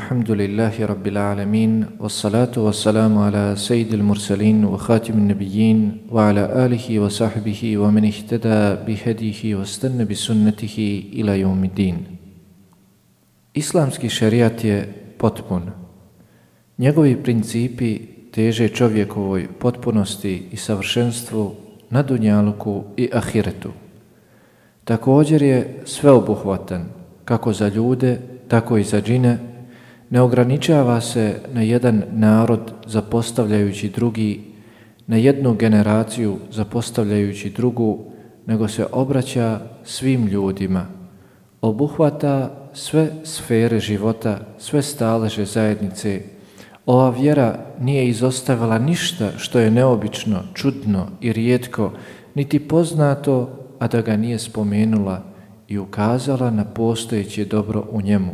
walhamdulillahi rabbil alamin, wassalatu wassalamu ala sayyidil mursalin wa khatimin nabiyyin wa ala alihi wa sahbihi wa man ihtada bihadihi wa istanna bi sunnatihi ila yawmiddin. Islamski šerijat je potpun. Njegovi principi teže čovjekovoj potpunosti i savršenstvu na dunjaluku i ahiretu. Također je sveobuhvatan, kako za ljude, tako i za džine, ne ograničava se na jedan narod zapostavljajući drugi, na jednu generaciju zapostavljajući drugu, nego se obraća svim ljudima. Obuhvata sve sfere života, sve staleže zajednice. Ova vjera nije izostavila ništa što je neobično, čudno i rijetko, niti poznato, a da ga nije spomenula i ukazala na postojeće dobro u njemu,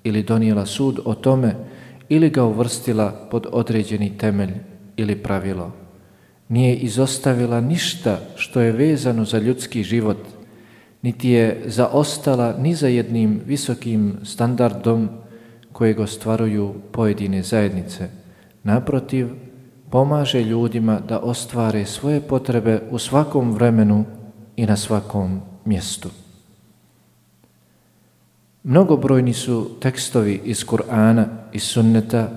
ili donijela sud o tome, ili ga uvrstila pod određeni temelj ili pravilo. Nije izostavila ništa što je vezano za ljudski život, niti je zaostala ni za jednim visokim standardom kojeg ostvaruju pojedine zajednice. Naprotiv, pomaže ljudima da ostvare svoje potrebe u svakom vremenu i na svakom mjestu. Mnogobrojni su tekstovi iz Kur'ana i sunneta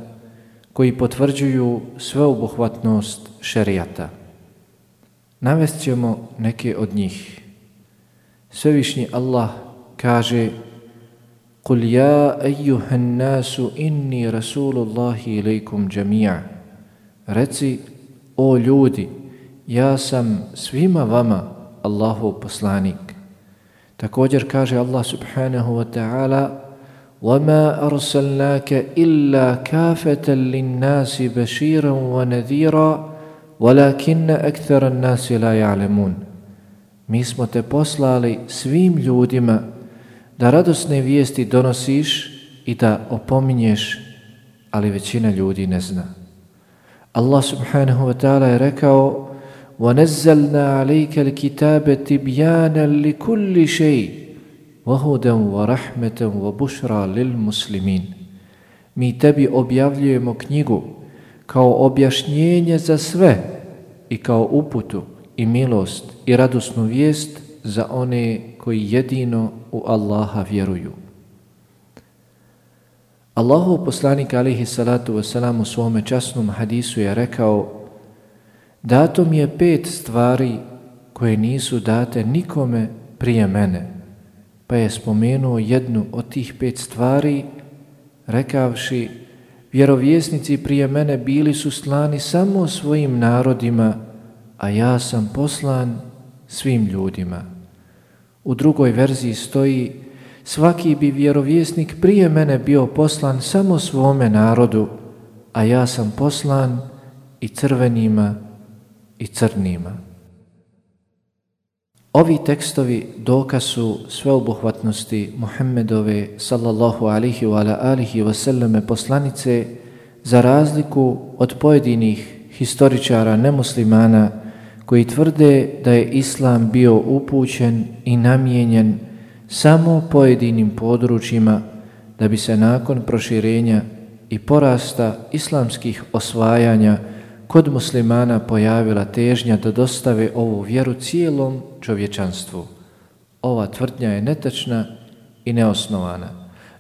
koji potvrđuju sveobuhvatnost šerijata. Navest ćemo neke od njih. Svevišnji Allah kaže: قُلْ يَا أَيُّهَا النَّاسُ إِنِّي رَسُولُ اللَّهِ إِلَيْكُمْ جَمِيعًا. Reci, o ljudi, ja sam svima vama Allahov poslanik. Također kaže Allah subhanahu wa ta'ala: وَمَا أَرْسَلْنَاكَ إِلَّا كَافَةً لِلنَّاسِ بَشِيرًا وَنَذِيرًا وَلَكِنَّ أَكْثَرَ النَّاسِ لَا يَعْلَمُونَ. Mi smo te poslali svim ljudima da radosne vijesti donosiš i da opominješ, ali većina ljudi ne zna. Allah subhanahu wa ta'ala je rekao: وَنَزَّلْنَا عَلَيْكَ الْكِتَابَ تِبْيَانًا لِكُلِّ شَيْءٍ وَهُدًى وَرَحْمَةً وَبُشْرَى لِلْمُسْلِمِينَ. Mi tebi objavljujemo knjigu kao objašnjenje za sve i kao uputu i milost i radosnu vijest za one koji jedino u Allaha vjeruju. Allahov poslanik alejhi salatu vesselam u svome časnom hadisu je rekao: dato mi je 5 stvari koje nisu date nikome prije mene. Pa je spomenuo jednu od tih 5 stvari, rekavši: vjerovjesnici prije mene bili su slani samo svojim narodima, a ja sam poslan svim ljudima. U drugoj verziji stoji: svaki bi vjerovjesnik prije mene bio poslan samo svome narodu, a ja sam poslan i crvenima i crnima. Ovi tekstovi dokaz su sveobuhvatnosti Muhammedove sallallahu alihi wa alihi wasallame poslanice, za razliku od pojedinih historičara nemuslimana koji tvrde da je Islam bio upućen i namijenjen samo pojedinim područjima, da bi se nakon proširenja i porasta islamskih osvajanja kod muslimana pojavila težnja da dostave ovu vjeru cijelom čovječanstvu. Ova tvrdnja je netačna i neosnovana.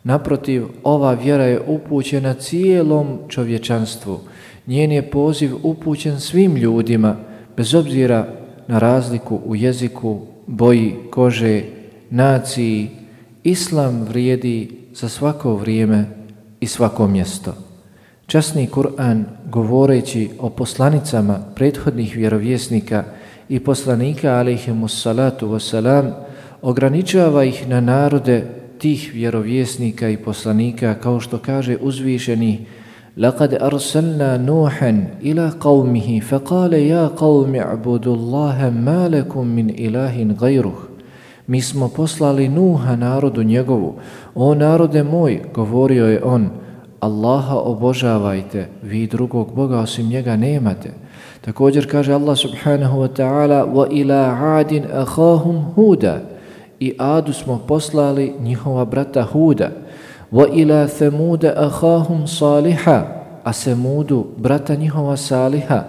Naprotiv, ova vjera je upućena cijelom čovječanstvu. Njen je poziv upućen svim ljudima, bez obzira na razliku u jeziku, boji kože, naciji. Islam vrijedi za svako vrijeme i svako mjesto. Časni Kur'an, govoreći o poslanicama prethodnih vjerovjesnika i poslanika alejhimus salatu wassalam, ograničava ih na narode tih vjerovjesnika i poslanika, kao što kaže uzvišeni: لَقَدْ أَرْسَلْنَا نُوحًا إِلَى قَوْمِهِ فَقَالَ يَا قَوْمِ اعْبُدُوا اللَّهَ مَا لَكُمْ مِنْ إِلَٰهٍ غَيْرُهُ. Mi smo poslali Nuha narodu njegovu: o narode moj, govorio je on, Allaha obožavajte, vi drugog Boga osim njega nemate. Također kaže Allah subhanahu wa ta'ala: وَإِلَىٰ عَادٍ أَخَاهُمْ هُودًا. I Adu smo poslali njihova brata Huda. وَإِلَى ثَمُودَ أَخَاهُمْ صَالِحًا, a Semudu, brata njihova Saliha.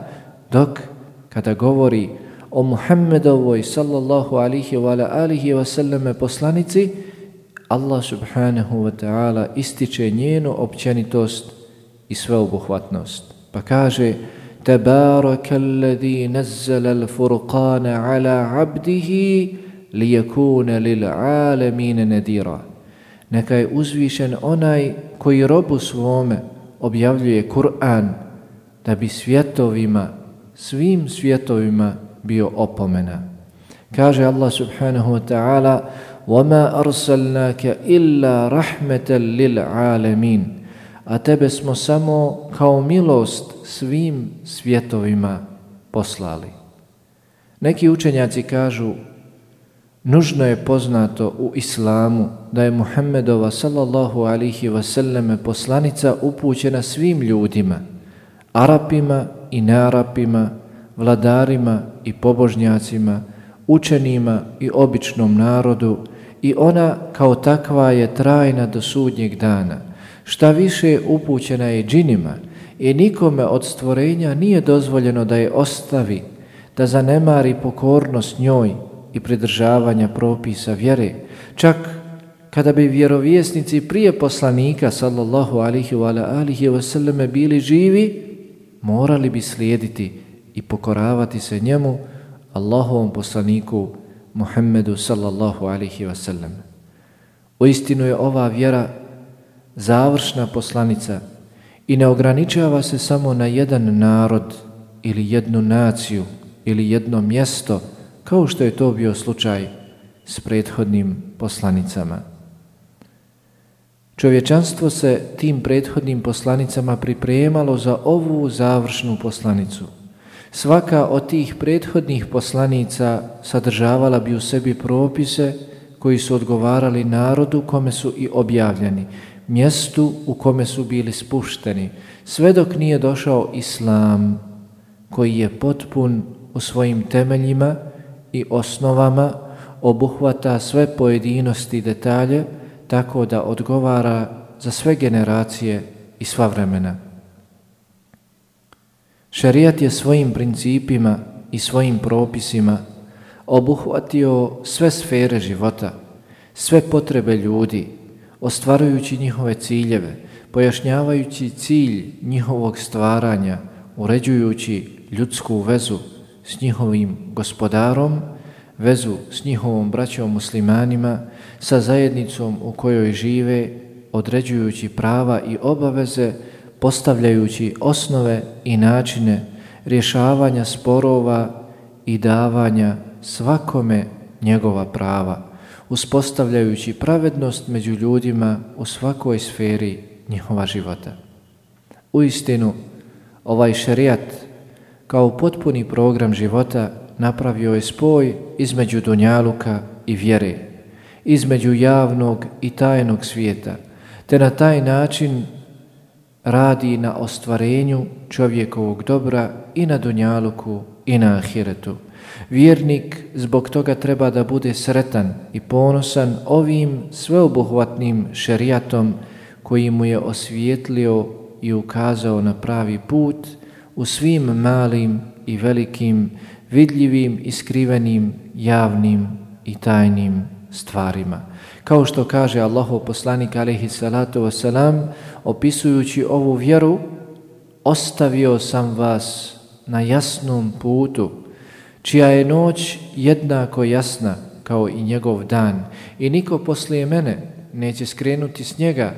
Dok kada govori o Muhammedovoj sallallahu alihi wa alihi wasallame poslanici, Allah subhanahu wa ta'ala ističe njenu općenitost i sveobuhvatnost. Pa kaže: Tabaraka alladhi nazzala al-furqana ala abdihi liyakuna lil alamin nadira. Neka je uzvišen onaj koji robu svome objavljuje Kur'an da bi svjetovima, svim svjetovima bio opomena. Kaže Allah subhanahu wa ta'ala: وَمَا أَرْسَلْنَاكَ إِلَّا رَحْمَةً لِلْعَالَمِينَ, a tebe smo samo kao milost svim svjetovima poslali. Neki učenjaci kažu: nužno je poznato u islamu da je Muhammedova sallallahu alihi wasallam poslanica upućena svim ljudima, Arapima i nearapima, vladarima i pobožnjacima, učenima i običnom narodu, i ona kao takva je trajna do sudnjeg dana. Šta više, upućena je džinima i nikome od stvorenja nije dozvoljeno da je ostavi, da zanemari pokornost njoj i pridržavanja propisa vjere. Čak kada bi vjerovjesnici prije poslanika sallallahu alihi wa alihi wasallam bili živi, morali bi slijediti i pokoravati se njemu, Allahovom poslaniku Muhammedu sallallahu alihi wasallam. Uistinu je ova vjera završna poslanica i ne ograničava se samo na jedan narod ili jednu naciju ili jedno mjesto, kao što je to bio slučaj s prethodnim poslanicama. Čovječanstvo se tim prethodnim poslanicama pripremalo za ovu završnu poslanicu. Svaka od tih prethodnih poslanica sadržavala bi u sebi propise koji su odgovarali narodu kome su i objavljeni, mjestu u kome su bili spušteni, sve dok nije došao Islam, koji je potpun u svojim temeljima i osnovama, obuhvata sve pojedinosti i detalje, tako da odgovara za sve generacije i sva vremena. Šerijat je svojim principima i svojim propisima obuhvatio sve sfere života, sve potrebe ljudi, ostvarujući njihove ciljeve, pojašnjavajući cilj njihovog stvaranja, uređujući ljudsku vezu s njihovim gospodarom, vezu s njihovom braćom muslimanima, sa zajednicom u kojoj žive, određujući prava i obaveze, postavljajući osnove i načine rješavanja sporova i davanja svakome njegova prava, uspostavljajući pravednost među ljudima u svakoj sferi njihova života. Uistinu, ovaj šerijat kao potpuni program života napravio je spoj između dunjaluka i vjere, između javnog i tajnog svijeta, te na taj način radi na ostvarenju čovjekovog dobra i na dunjaluku i na ahiretu. Vjernik zbog toga treba da bude sretan i ponosan ovim sveobuhvatnim šerijatom koji mu je osvijetlio i ukazao na pravi put u svim malim i velikim, vidljivim i skrivenim, javnim i tajnim stvarima. Kao što kaže Allahov poslanik alejhi salatu vesselam, opisujući ovu vjeru: ostavio sam vas na jasnom putu, čija je noć jednako jasna kao i njegov dan, i niko poslije mene neće skrenuti s njega,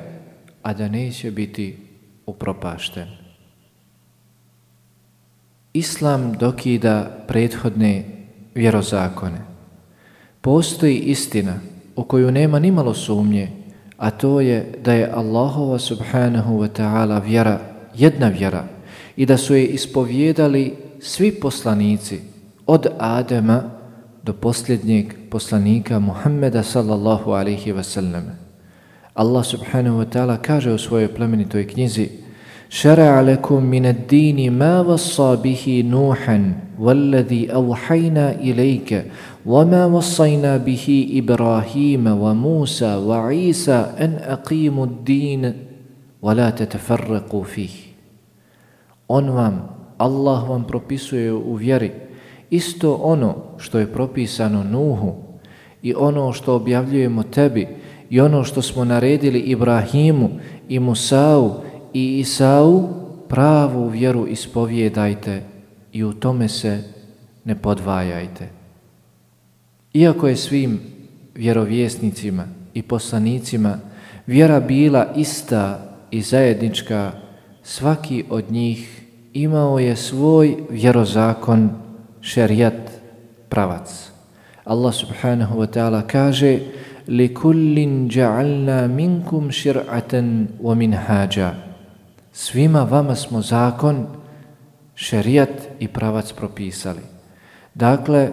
a da neće biti upropašten. Islam dokida prethodne vjerozakone. Postoji istina u koju nema nimalo sumnje, a to je da je Allahova subhanahu wa ta'ala vjera jedna vjera i da su je ispovijedali svi poslanici od Adema do posljednjeg poslanika Muhammeda sallallahu alaihi wa sallam. Allah subhanahu wa ta'ala kaže u svojoj plemenitoj knjizi: شرع لكم من الدين ما وصى به نوحا والذي أوحينا إليك وما وصينا به إبراهيم وموسى وعيسى أن أقيموا الدين ولا تتفرقوا فيه. On vam, Allah vam propisuje u vjeri isto ono što je propisano Nuhu i ono što objavljujemo tebi i ono što smo naredili Ibrahimu i Musau i Isau, pravu vjeru ispovijedajte i u tome se ne podvajajte. Iako je svim vjerovjesnicima i poslanicima vjera bila ista i zajednička, svaki od njih imao je svoj vjerozakon, šerijat, pravac. Allah subhanahu wa ta'ala kaže: لِكُلٍّ جَعَلْنَا مِنْكُمْ شِرْعَةً وَمِنْهَاجًا. Svima vama smo zakon, šerijat i pravac propisali. Dakle,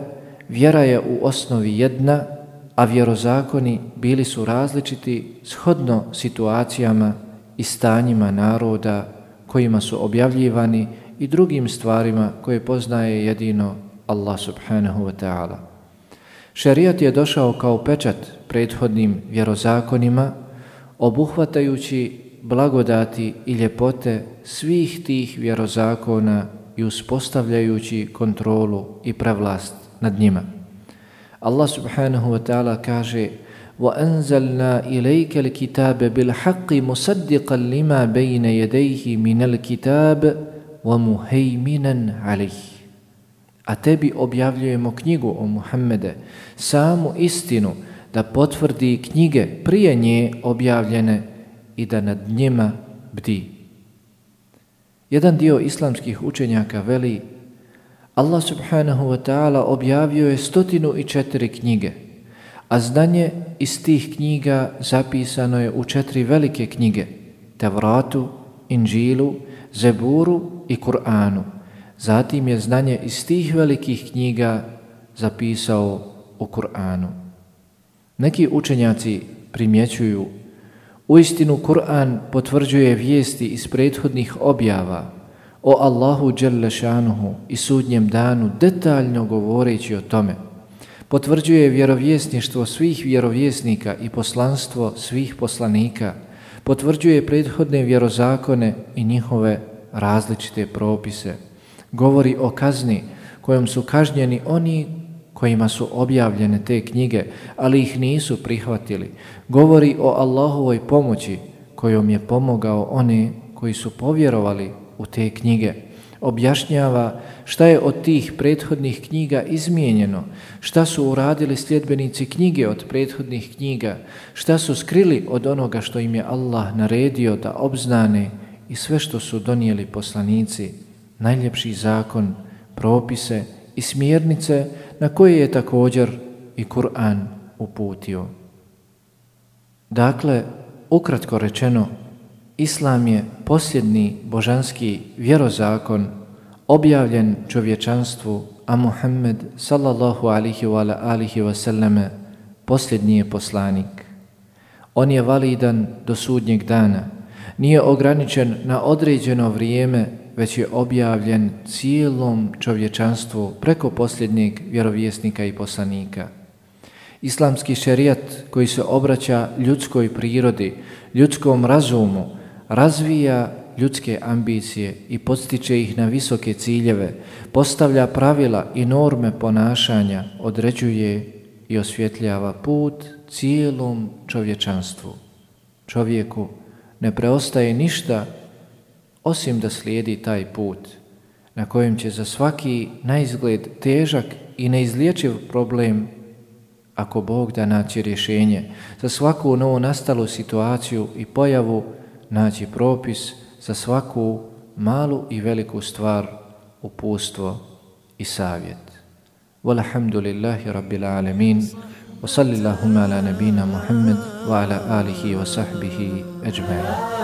vjera je u osnovi jedna, a vjerozakoni bili su različiti shodno situacijama i stanjima naroda kojima su objavljivani i drugim stvarima koje poznaje jedino Allah subhanahu wa ta'ala. Šerijat je došao kao pečat prethodnim vjerozakonima, obuhvatajući blagodati i ljepote svih tih vjerozakona i uspostavljajući kontrolu i prevlast nad njima. Allah subhanahu wa ta'ala kaže: وَأَنزَلْنَا إِلَيْكَ الْكِتَابَ بِالْحَقِّ مُصَدِّقًا لِمَا بَيْنَ يَدَيْهِ مِنَ الْكِتَابِ وَمُهَيْمِنًا عَلَيْهِ. A tebi objavljujemo knjigu, o Muhammede, samu istinu, da potvrdi knjige prije nje objavljene i da nad njima bdi. Jedan dio islamskih učenjaka veli: Allah subhanahu wa ta'ala objavio je 104 knjige, a znanje iz tih knjiga zapisano je u 4 velike knjige: Tevratu, Inđilu, Zeburu i Kur'anu. Zatim je znanje iz tih velikih knjiga zapisao u Kur'anu. Neki učenjaci primjećuju: uistinu Kur'an potvrđuje vijesti iz prethodnih objava o Allahu dželle šanuhu i sudnjem danu, detaljno govoreći o tome. Potvrđuje vjerovjesništvo svih vjerovjesnika i poslanstvo svih poslanika. Potvrđuje prethodne vjerozakone i njihove različite propise. Govori o kazni kojom su kažnjeni oni kojima su objavljene te knjige, ali ih nisu prihvatili. Govori o Allahovoj pomoći kojom je pomogao one koji su povjerovali u te knjige. Objašnjava šta je od tih prethodnih knjiga izmijenjeno, šta su uradili sljedbenici knjige od prethodnih knjiga, šta su skrili od onoga što im je Allah naredio da obznane i sve što su donijeli poslanici, najljepši zakon, propise i smjernice na koje je također i Kur'an uputio. Dakle, ukratko rečeno, Islam je posljednji božanski vjerozakon objavljen čovječanstvu, a Muhammed sallallahu alihi wa alihi wa sallame posljednji je poslanik. On je validan do sudnjeg dana, nije ograničen na određeno vrijeme, već je objavljen cijelom čovječanstvu preko posljednjeg vjerovjesnika i poslanika. Islamski šerijat koji se obraća ljudskoj prirodi, ljudskom razumu, razvija ljudske ambicije i podstiče ih na visoke ciljeve, postavlja pravila i norme ponašanja, određuje i osvjetljava put cijelom čovječanstvu. Čovjeku ne preostaje ništa osim da slijedi taj put na kojem će za svaki naizgled težak i neizlječiv problem, ako Bog da, naći rješenje, za svaku novu nastalu situaciju i pojavu naći propis, za svaku malu i veliku stvar uputstvo i savjet. Walhamdulillahi rabbil alamin, wa sallillahumma ala nabina Muhammad wa ala alihi wa sahbihi ajma'in.